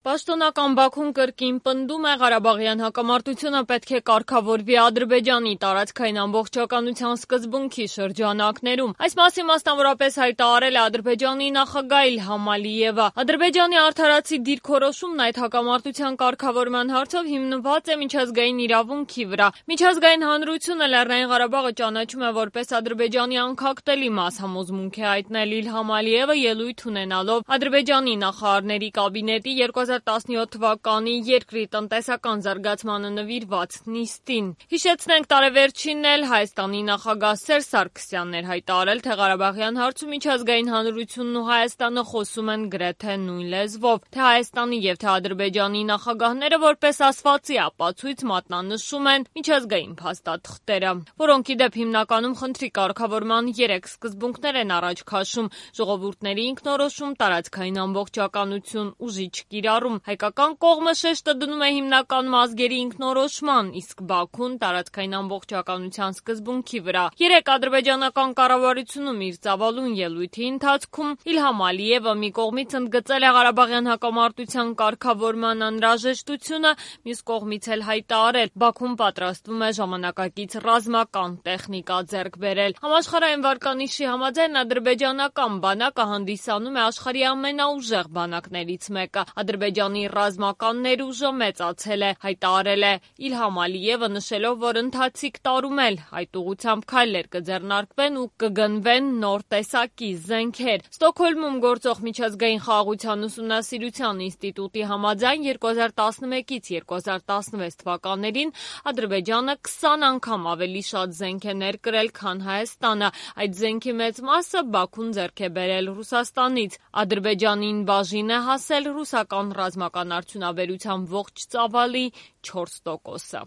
Պաշտոնական Բաքուն կրկին պնդում է Ղարաբաղյան հակամարտությունը պետք է կարգավորվի Ադրբեջանի տարածքային ամբողջականության սկզբունքի շրջանակներում։ Այս մասին մասնավորապես հայտարարել է Ադրբեջանի նախագահ Իլհամ Ալիևը։ Ադրբեջանի արդարացի դիրքորոշումն այդ հակամարտության կարգավորման հարցով հիմնված է միջազգային իրավունքի վրա։ Միջազգային հանրությունը Լեռնային Ղարաբաղը ճանաչում է որպես Ադրբեջանի անքակտելի մաս, համոզմունք է հայտնել Իլհամ Ալիևը ելույթ ունենալով Ադրբեջանի նախարարների կաբինետի 2017 թվականի երկրի տնտեսական զարգացմանը նվիրված նիստին։ Հիշեցնենք, տարեվերջինն էլ Հայաստանի նախագահ Սերժ Սարգսյանն էր հայտարարել, թե Ղարաբաղյան հարցում միջազգային հանրությունն ու Հայաստանը խոսում են գրեթե նույն լեզվով, թե Հայաստանի եւ թե Ադրբեջանի նախագահները որպես ասվածի ապացույց մատնանշում են միջազգային փաստաթղթերը, որոնք ի դեպ հիմնականում խնդրի կարգավորման 3 սկզբունքներ են առաջ քաշում՝ ժողովուրդների ինքնորոշում, տարածքային ամբողջականություն, ուժիչ կիրառում։ Հայկական կողմը շեշտը դնում է հիմնականում ազգերի ինքնորոշման, իսկ Բաքուն տարածքային ամբողջականության սկզբունքի վրա։ Երեկ ադրբեջանական կառավարությունում իր ծավալուն ելույթի ընթացքում Իլհամ Ալիևը մի կողմից ընդգծել է Ղարաբաղյան հակամարտության կարգավորման անհրաժեշտությունը, մյուս կողմից էլ հայտարարել՝ Բաքուն պատրաստվում է ժամանակակից ռազմական տեխնիկա ձեռք բերել։ Համաշխարհային վարկանիշի համաձայն ադրբեջանական բանակը հանդիսանում է աշխարհի ամենաուժեղ բանակներից մեկը։ Ադրբեջանի ռազմական ներուժը մեծացել է, հայտարարել է Իլհամ Ալիևը, նշելով, որ ընթացիկ տարում էլ այդ ուղղությամբ քայլեր կձեռնարկվեն ու կգնվեն նոր տեսակի զենքեր։ Ստոկհոլմում գործող միջազգային խաղաղության ուսումնասիրության ինստիտուտի համաձայն 2011-ից 2016 թվականներին Ադրբեջանը 20 անգամ ավելի շատ զենք է ներկրել, քան Հայաստանը։ Այդ զենքի մեծ մասը Բաքուն ձեռք է բերել Ռուսաստանից։ Ադրբեջանին բաժին է հասել ռուսական ռազմական արդյունաբերության ողջ ծավալի 4%-ը։